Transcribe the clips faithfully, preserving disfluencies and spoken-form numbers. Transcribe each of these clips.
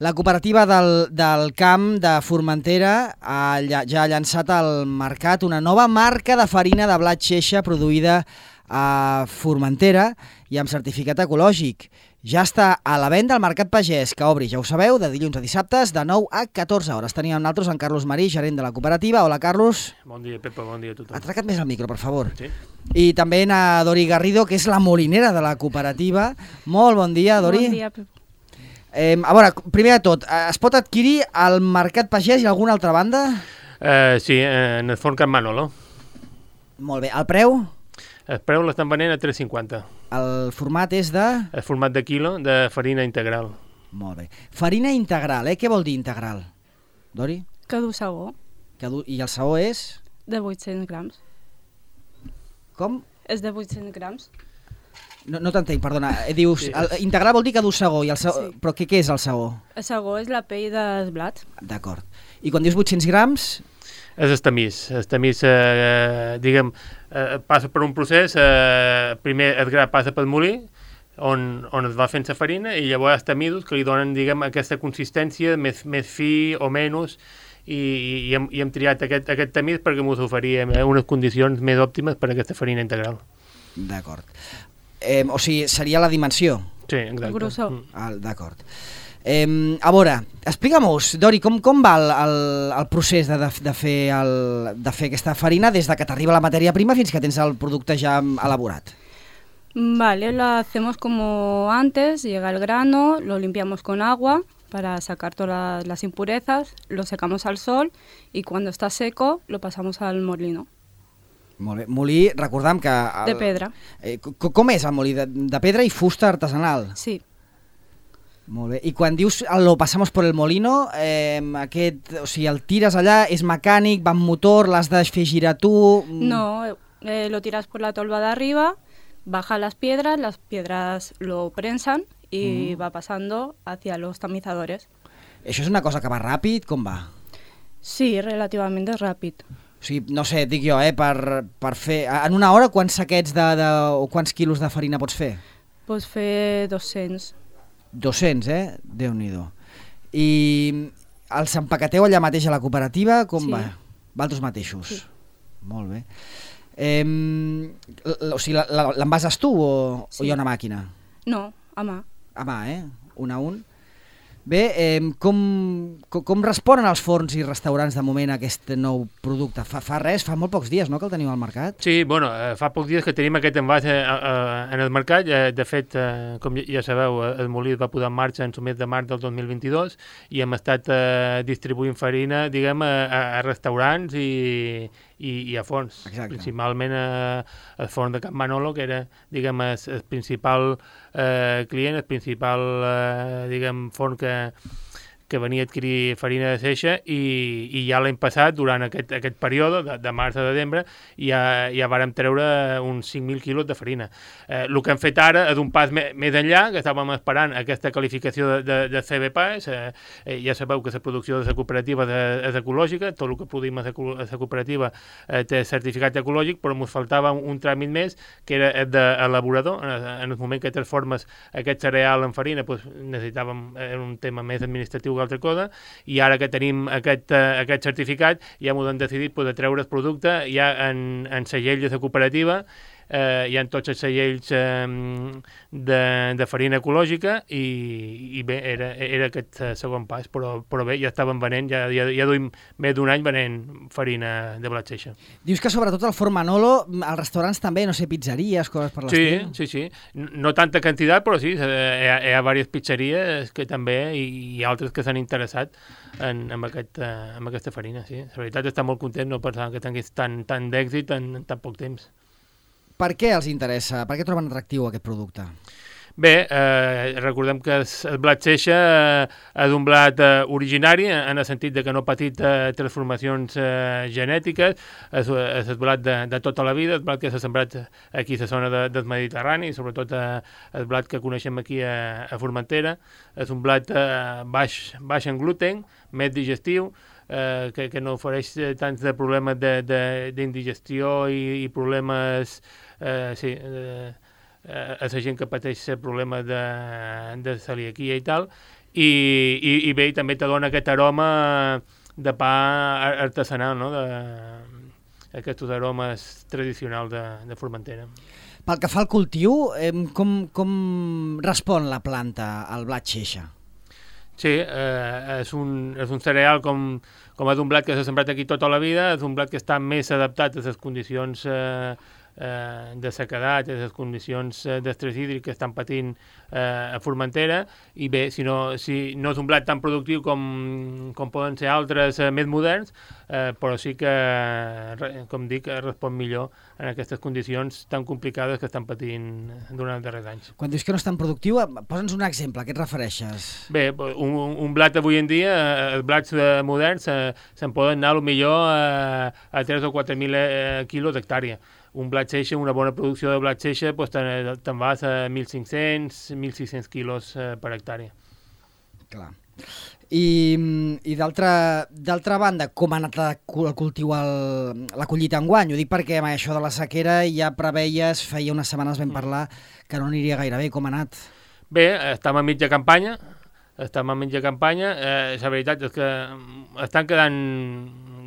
La cooperativa del, del camp de Formentera ha, ja ha llançat al mercat una nova marca de farina de blat xeixa produïda a Formentera i amb certificat ecològic. Ja està a la venda al Mercat Pagès, que obri, ja ho sabeu, de dilluns a dissabtes, de nou a catorze hores. Tenim amb nosaltres en Carlos Marí, gerent de la cooperativa. Hola, Carlos. Bon dia, Pepa, bon dia a tothom. Atraca't més al micro, per favor. Sí. I també a Dori Garrido, que és la molinera de la cooperativa. Molt bon dia, Dori. Bon dia, Pepa. Eh, a veure, primer de tot, es pot adquirir al Mercat Pagès i alguna altra banda? Uh, sí, en el forn Can Manolo. Molt bé. El preu? El preu l'estan venent a tres cinquanta. El format és de... El format de quilo de farina integral. Molt bé. Farina integral, eh? Què vol dir integral? Dori? Que du sabó, Que du... I el saó és? de vuit-cents grams. Com? És de vuit-cents grams. No, no t'entenc, perdona. Eh, Dius, Sí, el, és- integral vol dir que du sagó, i el saó... Sí. Però què, què és el saó? El sabó és la pell del blat. D'acord. I quan dius vuit-cents grams... És el tamís. El tamís, eh, diguem, eh, passa per un procés, eh, primer el gra passa pel molí, on, on es va fent la farina, i llavors els tamisos que li donen, diguem, aquesta consistència més, més fi o menys, i, i, hem, i hem triat aquest, aquest tamís perquè ens oferia unes condicions més òptimes per a aquesta farina integral. D'acord. Eh, o sigui, seria la dimensió. Sí, exacte. El grossor. Mm. Ah, d'acord. Eh, a veure, explica'm-nos, Dori, com, com va el, el, el procés de, de, de, fer el, de fer aquesta farina des de que t'arriba la matèria prima fins que tens el producte ja elaborat? Vale, lo hacemos como antes, llega el grano, lo limpiamos con agua para sacar todas las impurezas, lo secamos al sol y cuando está seco lo pasamos al molino. Molt bé. Molí, recordam que... El, De pedra. Eh, co- com és el molí? De, de pedra i fusta artesanal? Sí, Molt bé. I quan dius lo pasamos por el molino, eh, aquest, o sigui, el tires allà, és mecànic, va amb motor, l'has de fer girar tu... mm, no, eh, lo tiras por la tolva de arriba, baja las piedras, las piedras lo prensan y va pasando hacia los tamizadores. Això és una cosa que va ràpid? Com va? Sí, relativamente rápido. O sigui, no sé, dic jo, eh, per, per fer... En una hora quants saquets de, de, o quants quilos de farina pots fer? Pues fer dos-cents. dos-cents, eh? Déu-n'hi-do. I els empaqueteu allà mateix a la cooperativa? Com Sí. va? Valtros mateixos? Sí. Molt bé. Eh, l- o sigui, la- la- l'envases tu o, Sí. o hi ha una màquina? No, a mà. A mà, eh? Un a un. Bé, eh, com, com, com responen els forns i restaurants de moment a aquest nou producte? Fa, fa res, fa molt pocs dies, no?, que el teniu al mercat? Sí, bueno, eh, fa pocs dies que tenim aquest envàs eh, eh, en el mercat. Eh, de fet, eh, com ja, ja sabeu, eh, el molí es va posar en marxa en el mes de març del dos mil vint-i-dos i hem estat eh, distribuint farina, diguem, a, a, a restaurants i, i, i a forns. Exacte. Principalment a, al forn de Can Manolo, que era, diguem, el, el principal eh, client, el principal, eh, diguem, forn que que venia a adquirir farina de seixa i, i ja l'any passat, durant aquest, aquest període, de, de març a desembre, ja, ja vàrem treure uns cinc mil quilos de farina. Eh, el que hem fet ara és un pas me, més enllà, que estàvem esperant aquesta qualificació de, de, de C B P A S. Eh, eh, ja sabeu que la producció de la cooperativa és, és ecològica, tot el que produïm a la, a la cooperativa eh, té certificat ecològic, però ens faltava un, un tràmit més, que era el d'elaborador. En, en el moment que transformes aquest cereal en farina, doncs necessitàvem eh, un tema més administratiu que altra cosa, i ara que tenim aquest, uh, aquest certificat ja m'ho han decidit pues, de treure el producte ja en, en segell de la cooperativa. Eh, hi ha tots els segells eh, de, de farina ecològica i, i bé, era, era aquest uh, segon pas, però, però bé, ja estaven venent, ja, ja, ja duim més d'un any venent farina de blat xeixa. Dius que sobretot al forn Manolo, als restaurants també, no sé, pizzeries, coses per Sí, l'estil. sí, sí. No no tanta quantitat, però sí, eh, hi ha, hi ha diverses pizzeries que també, i, i altres que s'han interessat en, en, aquest, uh, en aquesta farina, sí. La veritat està molt content, no pensant que tingués tant, tant d'èxit en, en tan poc temps. Per què els interessa? Per què troben atractiu aquest producte? Bé, eh, recordem que el, el blat xeixa eh, és un blat eh, originari, en el sentit de que no ha patit eh, transformacions eh, genètiques, és, és el blat de, de tota la vida, el blat que s'ha sembrat aquí a la zona de, del Mediterrani, sobretot eh, el blat que coneixem aquí a, a Formentera. És un blat eh, baix, baix en gluten, més digestiu, eh, que, que no ofereix tants de problemes d'indigestió i, i problemes eh, sí, eh, a la gent que pateix problemes de, de celiaquia i tal, i, i, i bé, i també te dona aquest aroma de pa artesanal, no? De, aquests aromes tradicionals de, de Formentera. Pel que fa al cultiu, eh, com, com respon la planta al blat xeixa? Sí, eh, és, un, és un cereal com, com és un blat que s'ha sembrat aquí tota la vida, és un blat que està més adaptat a les condicions eh, eh, de sequedat, a les condicions eh, d'estrès hídric que estan patint eh, a Formentera, i bé, si no, si no és un blat tan productiu com, com poden ser altres eh, més moderns, eh, però sí que, com dic, respon millor en aquestes condicions tan complicades que estan patint durant els darrers anys. Quan dius que no és tan productiu, posa'ns un exemple, a què et refereixes? Bé, un, un blat avui en dia, els blats eh, moderns, eh, se'n poden anar potser a, a tres o quatre mil eh, quilos d'hectàrea. Un blat xeixa, una bona producció de blat xeixa, doncs te'n, te'n vas a mil cinc-cents, mil sis-cents quilos eh, per hectàrea. Clar. I, i d'altra banda, com ha anat el cultiu, el, la collita enguany? Ho dic perquè amb això de la sequera ja preveies, feia unes setmanes vam parlar, que no aniria gaire bé. Com ha anat? Bé, estem a mitja campanya, estem a mitja campanya. Eh, la veritat és que estan quedant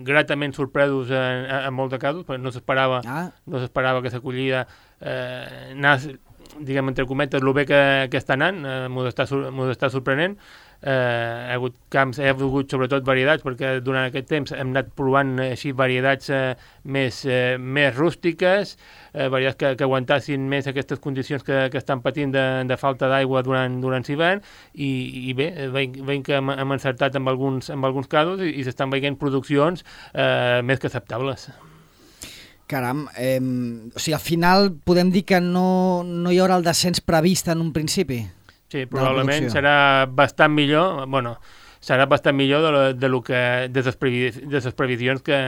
gratament sorpresos en, en molts casos, perquè no s'esperava ah. no s'esperava que l'acollida eh, anés, diguem, entre cometes, el bé que, que està anant, eh, m'ho està, està sorprenent. Eh, hi ha hagut camps, hi ha hagut sobretot varietats, perquè durant aquest temps hem anat provant així varietats eh, més, eh, més rústiques, eh, varietats que, que aguantassin més aquestes condicions que, que estan patint de, de falta d'aigua durant, durant l'hivern, i, i bé, veiem que hem, hem encertat amb alguns, amb alguns casos i, i s'estan veient produccions eh, més que acceptables. Caram, eh, o sigui, al final podem dir que no, no hi haurà el descens previst en un principi? Sí, probablement serà bastant millor, bueno, serà bastant millor de, lo, de, lo que, de, les previsions, de les previsions que,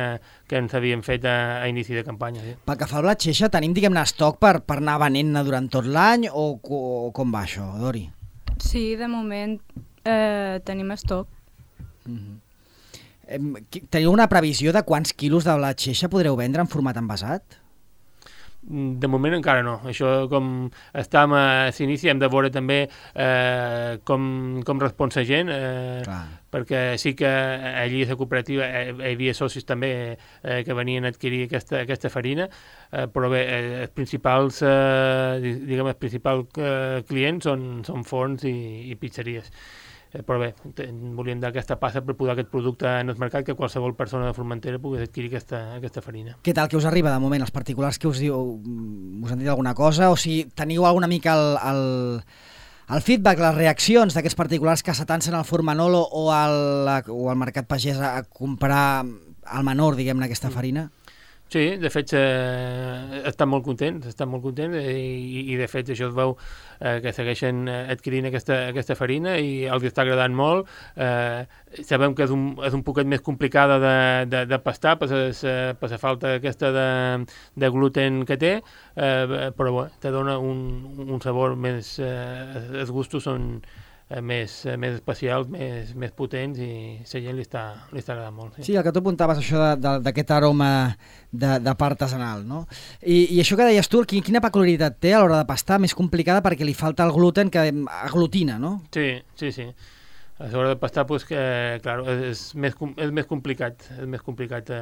que ens havien fet a, a inici de campanya. Sí. Pel que fa al blat xeixa, tenim, diguem-ne, estoc per, per anar venent-ne durant tot l'any, o, o com va això, Dori? Sí, de moment eh, tenim estoc. Mm-hmm. eh, teniu una previsió de quants quilos de blat xeixa podreu vendre en format envasat? De moment encara no. Això, com estàvem a l'inici, hem de veure també eh, com, com respon la gent, eh, perquè sí que allí a la cooperativa hi havia socis també eh, que venien a adquirir aquesta, aquesta farina, eh, però bé, els principals, eh, diguem, els principals eh, clients són, són forns i, i pizzeries. Però bé, volíem dar aquesta passa per posar aquest producte en el mercat, que qualsevol persona de Formentera pogués adquirir aquesta, aquesta farina. Què tal que us arriba de moment, els particulars que us diu, us han dit alguna cosa, o si teniu alguna mica el, el, el feedback, les reaccions d'aquests particulars que s'atancen al Forn Manolo o al, o al Mercat Pagès a comprar al menor, diguem-ne, aquesta farina? Sí, de fet, eh, estan molt contents, estan molt contents i, i de fet això es veu eh, que segueixen adquirint aquesta, aquesta farina i els està agradant molt. Eh, sabem que és un, és un poquet més complicada de, de, de pastar per la falta aquesta de, de gluten que té, eh, però bé, te dona un, un sabor més... Eh, els gustos són... Més, més especials, més, més potents, i la gent li està, li està agradant molt. Sí, sí, el que tu apuntaves, això d'aquest aroma de, de part artesanal, no? I, I això que deies tu, quina peculiaritat té a l'hora de pastar, més complicada perquè li falta el gluten que aglutina, no? Sí, sí, sí. A l'hora de pastar, pues, que, clar, és, més, és més complicat, és més complicat de,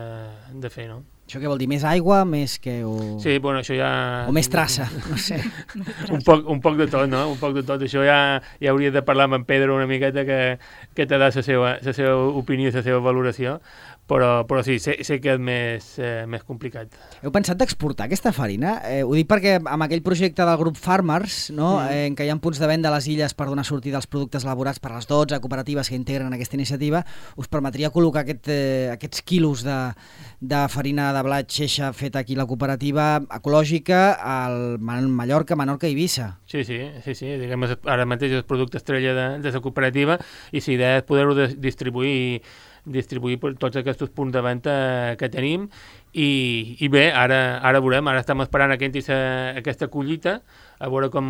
de fer, no? Això què vol dir? Més aigua, més que... O... Sí, bueno, això ja... O més traça, no sé. un, poc, un poc de tot, no? Un poc de tot. Això ja, ja hauria de parlar amb en Pedro una miqueta que, que te da la seva, la seva opinió i la seva valoració, però, però sí, sé, sé que és més, eh, més complicat. Heu pensat d'exportar aquesta farina? Eh, ho dic perquè amb aquell projecte del grup Farmers, no? Mm. eh, en què hi ha punts de venda a les illes per donar sortida als productes elaborats per les dotze cooperatives que integren aquesta iniciativa, us permetria col·locar aquest, eh, aquests quilos de, de farina de blat xeixa feta aquí a la cooperativa ecològica al Mallorca, Menorca i Eivissa. Sí, sí, sí, sí. Diguem, ara mateix és el producte estrella de, de la cooperativa i la idea és poder-ho de, distribuir distribuir per tots aquests punts de venda que tenim i, i bé, ara, ara veurem, ara estem esperant que entri aquesta collita, a veure com,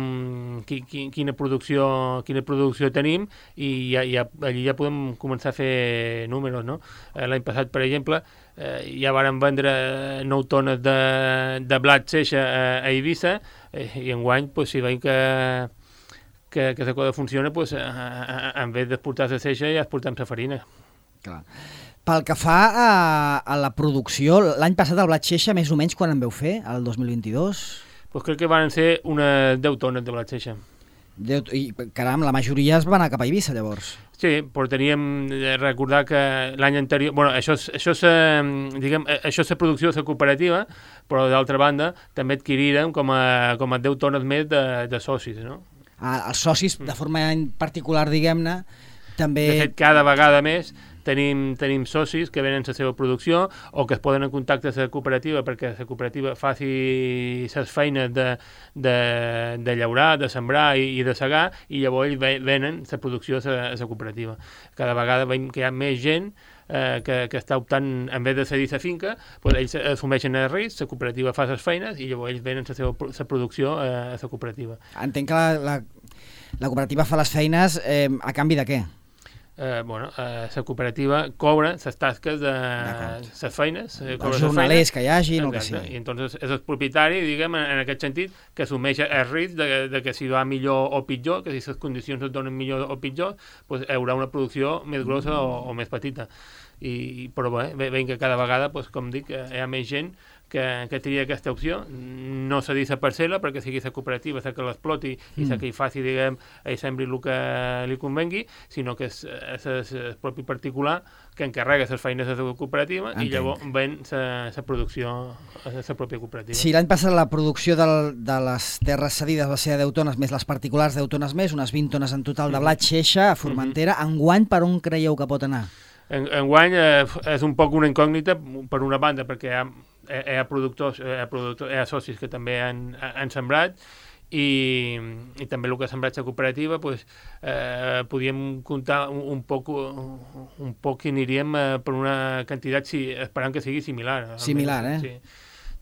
qui, qui, quina, producció, quina producció tenim i ja, ja, allí ja podem començar a fer números, no? L'any passat, per exemple, eh, ja vàrem vendre nou tones de, de blat xeixa a, a Eivissa eh, i enguany, pues, si veiem que que, que la cosa funciona, pues, en vez d'exportar la seixa ja exportem la farina. Clar. Pel que fa a, a la producció, l'any passat el blat xeixa, més o menys, quan en veu fer, el dos mil vint-i-dos? Pues crec que van ser unes deu tones de blat xeixa. Deu, I, caram, la majoria es va anar cap a Eivissa, llavors. Sí, però teníem de recordar que l'any anterior... Bueno, això és, això és, diguem, això és la producció de la cooperativa, però d'altra banda també adquirirem com a, com a deu tones més de, de socis, no? Ah, els socis, de forma particular, diguem-ne, també... De fet, cada vegada més tenim, tenim socis que venen la seva producció o que es poden en contacte amb la cooperativa perquè la cooperativa faci les feines de, de, de llaurar, de sembrar i, i de segar, i llavors venen la producció a la, a la cooperativa. Cada vegada veiem que hi ha més gent eh, que, que està optant, en vez de cedir la finca, doncs ells assumeixen el risc, la cooperativa fa les feines i llavors ells venen la seva la producció a, a la cooperativa. Entenc que la, la, la cooperativa fa les feines eh, a canvi de què? Eh, bueno, eh, la cooperativa cobra les tasques de les feines, eh, els jornalers que hi hagi, no que sigui. I entonces és el propietari, diguem, en, en aquest sentit, que assumeix el risc de, de que si va millor o pitjor, que si les condicions es donen millor o pitjor, pues, hi haurà una producció més grossa o, o més petita. I, però bé, veiem que cada vegada, pues, com dic, hi ha més gent que, que tria aquesta opció, no cedir la parcel·la perquè sigui la cooperativa la que l'exploti mm. i la que hi faci, diguem, i sembri el que li convengui, sinó que és, és, és el propi particular que encarrega les feines de la cooperativa. Entenc. I llavors ven la producció a la pròpia cooperativa. Sí, l'any passat la producció del, de les terres cedides va ser de deu tones més les particulars deu tones més, unes vint tones en total de blat xeixa a Formentera. Mm-hmm. Enguany per on creieu que pot anar? En, enguany eh, és un poc una incògnita per una banda perquè hi ha, hi ha productors, hi ha, productors, hi ha socis que també han, han sembrat i, i també el que ha sembrat la cooperativa, pues, eh, podíem comptar un, un poc un poc que aniríem eh, per una quantitat si, esperant que sigui similar. Similar, eh? Sí.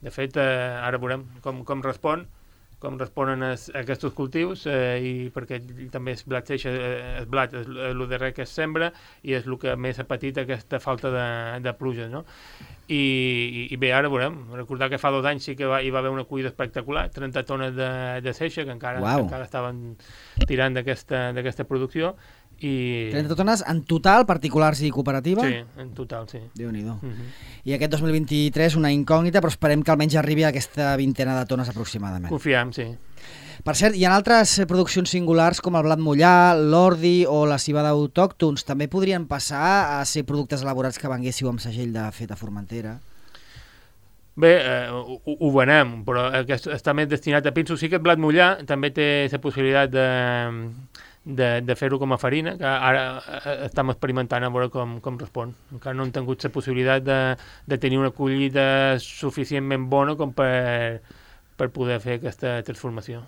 De fet, eh, ara veurem com, com respon com responen a aquests cultius eh, i perquè també és blat xeixa, el blat és el darrer que es sembra i és el que més ha patit aquesta falta de, de pluja, no? I, i, i bé, ara veurem, recordar que fa dos anys sí que va, hi va haver una collida espectacular, trenta tones de, de seixa que encara, wow. que encara estaven tirant d'aquesta producció. I... trenta tones en total, particulars i cooperativa? Sí, en total, sí. Déu-n'hi-do. Uh-huh. I aquest dos mil vint-i-tres una incògnita, però esperem que almenys arribi a aquesta vintena de tones aproximadament. Confiem, sí. Per cert, hi ha altres produccions singulars com el blat mullar, l'ordi o la civada autòctons. També podrien passar a ser productes elaborats que venguéssiu amb segell de fet a Formentera? Bé, eh, ho, ho venem, però aquest està més destinat a pinso. Sí que el blat mullar també té la possibilitat de... de, de fer-ho com a farina, que ara estem experimentant a veure com, com respon. Encara no hem tingut la possibilitat de, de tenir una collita suficientment bona com per, per poder fer aquesta transformació.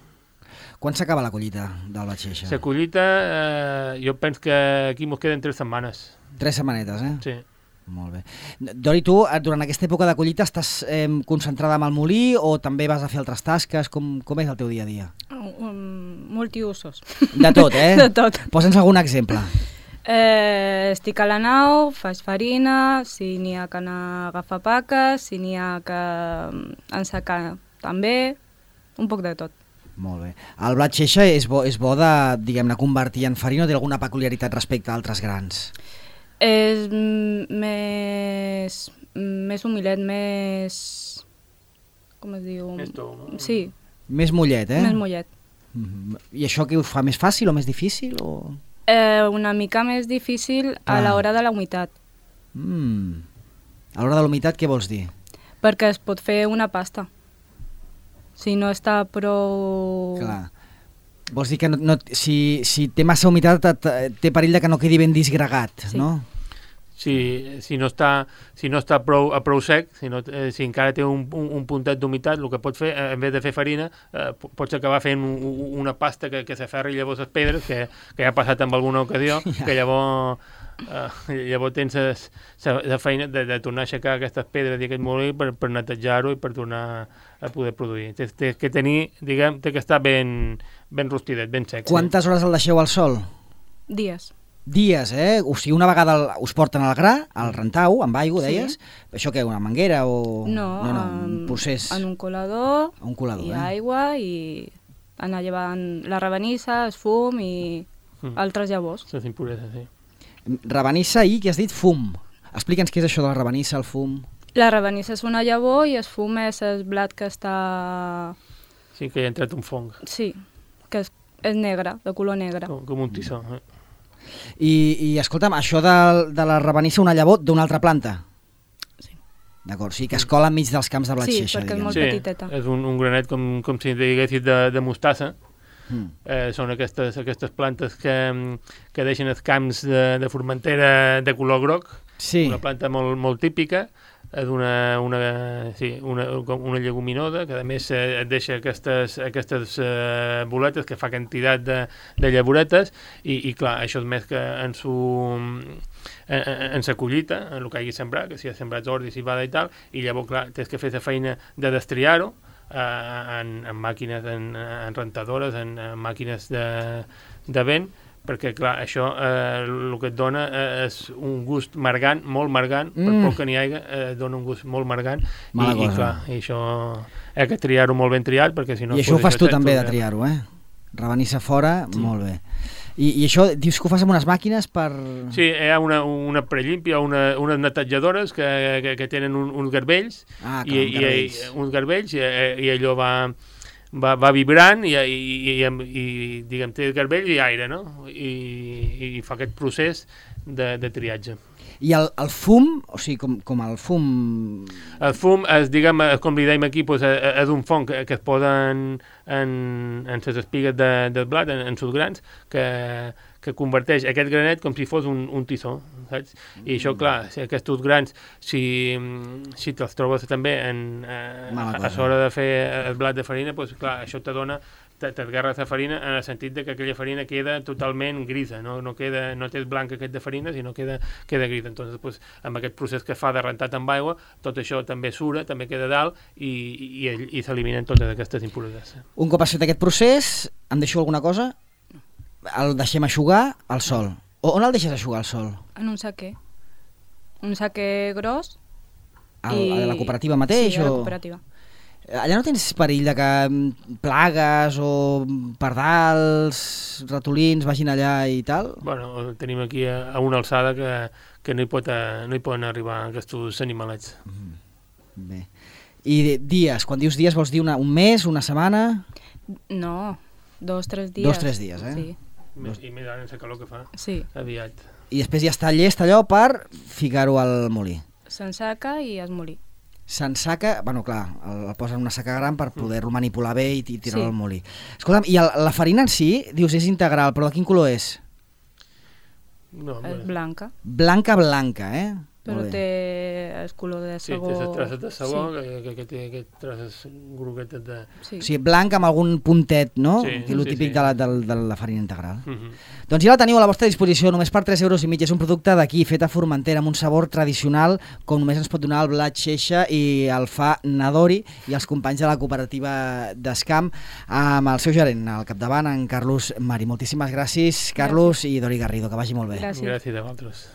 Quan s'acaba la collita del blat xeixa? La collita, eh, jo penso que aquí mos queden tres setmanes. Tres setmanetes, eh? Sí. Molt bé. Dori, tu, durant aquesta època de collita estàs eh, concentrada amb el molí o també vas a fer altres tasques? Com, com és el teu dia a dia? Um, multiusos. De tot, eh? De tot. Posa'ns algun exemple. Eh, estic a la nau, faig farina, si n'hi ha que anar a agafar paques, si n'hi ha que ensacar també, un poc de tot. Molt bé. El blat xeixa és bo, és bo de, diguem-ne, convertir en farina o té alguna peculiaritat respecte a altres grans? És més, més humilet, més... com es diu? Més tou, no? Sí. Més mollet, eh? Més mollet. Mm-hmm. I això què ho fa més fàcil o més difícil? O... Eh, una mica més difícil a ah. l'hora de la humitat. Mm. A l'hora de la humitat què vols dir? Perquè es pot fer una pasta. Si no està prou... Clar. Vols dir que no, no, si, si té massa humitat té perill de que no quedi ben disgregat, sí. No? Si, si no està, si no està prou, a prou sec, si, no, eh, si encara té un, un, un puntet d'humitat, el que pot fer, en vez de fer farina, eh, pots acabar fent un, una pasta que, que s'aferri llavors les pedres, que, que ja ha passat en alguna ocasió, ja. Que llavors, eh, llavors tens la feina de, de tornar a aixecar aquestes pedres i aquest molí per, per netejar-ho i per tornar a poder produir. Té, té que tenir, diguem, té que estar ben, ben rostidet, ben sec. Quantes hores el deixeu al sol? Dies. Dies, eh? O sigui, una vegada el, us porten al gra, al rentau, amb aigua, deies? Sí. Això què, una manguera o... No, no, no un procés... en un colador, un colador i eh? aigua i anar llevant la rabanissa, el fum i mm. altres llavors. Les impureses, sí. Rabanissa i, què has dit? Fum. Explica'ns què és això de la rabanissa, el fum. La rabanissa és una llavor i el fum és el blat que està... Sí, que hi ha entrat un fong. Sí, que és, és negre, de color negre. Com, com un tissó. Eh? I, i escolta'm, això de, de la rabanissa, una llavor d'una altra planta? Sí. D'acord, sí, que es cola enmig dels camps de blat sí, xeixa, perquè diguem. és molt sí, petiteta. És un, un granet com, com si diguessis de, de mostassa. Mm. Eh, són aquestes, aquestes plantes que, que deixen els camps de, de Formentera de color groc. Sí. Una planta molt, molt típica, és una, una, sí, una, una lleguminosa que a més eh, et deixa aquestes, aquestes eh, boletes que fa quantitat de, de llavoretes i, i clar, això és més que en su en, en sa collita, en el que hagi sembrat, que si ha sembrat ordi, civada i tal, i llavors clar, tens que fer la feina de destriar-ho eh, en, en màquines, en, en rentadores, en, en màquines de, de vent, perquè, clar, això eh, el que et dona eh, és un gust margant, molt margant, mm. per poc que n'hi hagi, eh, dona un gust molt margant, Mala i, i, clar, i això he que triar-ho molt ben triat, perquè si no... I això ho fas tu també, de triar-ho, eh? Rabanissa fora, sí. Molt bé. I, I això, dius que ho fas amb unes màquines per... Sí, hi ha una, una prellimpia, una, unes netejadores que, que, que tenen un, uns garbells, ah, i, i, i uns garbells, i, i allò va... Va, va vibrant i, i, i, i diguem, té garbell i aire, no? I, i fa aquest procés de, de triatge. I el, el fum, o sigui, com, com el fum... El fum, és, diguem, com li dèiem aquí, doncs, és un fong que, que es posa en, en, en les espigues de, del blat, en, en sus grans, que, que converteix aquest granet com si fos un, un tissó, saps? I això, clar, si aquests grans, si, si te'ls trobes també en, eh, a, a l'hora de fer el blat de farina, doncs, clar, això te dona, t'esgarres la farina en el sentit de que aquella farina queda totalment grisa, no, no, queda, no té blanc aquest de farina, sinó queda, queda grisa. Entonces, doncs, amb aquest procés que fa de rentat amb aigua, tot això també sura, també queda dalt i, i, i s'eliminen totes aquestes impureses. Un cop has fet aquest procés, em deixo alguna cosa? El deixem eixugar al sol. O on el deixes eixugar al sol? En un saquer. Un saquer gros. Al, i... A la cooperativa mateix? Sí, a la o... cooperativa. Allà no tens perill de que plagues o pardals, ratolins vagin allà i tal? Bueno, tenim aquí a, a una alçada que, que no, hi pot, no hi poden arribar aquests animalets. Mm. Bé. I dies, quan dius dies vols dir una, un mes, una setmana? No, dos, tres dies. Dos, tres dies, eh? Sí. Més, I més ara en la calor que fa. Sí. Aviat. I després ja està llest allò per ficar-ho al molí. S'ensaca i es molí. S'ensaca, bueno, clar, el, el posen en una saca gran per poder-lo manipular bé i, i tirar-lo sí. al molí. Escolta'm, i el, la farina en si, dius, és integral, però de quin color és? No, és blanca. Blanca, blanca, eh? Però té el color de sabó... Sí, té les traces de sabó, sí. que, que, que té aquestes traces groguetes de... Sí. O sigui, blanc amb algun puntet, no? Sí, que és el sí, típic sí. de, la, de, de la farina integral. Uh -huh. Doncs ja la teniu a la vostra disposició, només per tres euros i mig. És un producte d'aquí, fet a Formentera, amb un sabor tradicional, com només ens pot donar el blat xeixa, i el fa Nadori i els companys de la cooperativa d'Escamp, amb el seu gerent al capdavant, en Carlos Mari. Moltíssimes gràcies, Carlos, gràcies. I Dori Garrido, que vagi molt bé. Gràcies. Gràcies a vosaltres.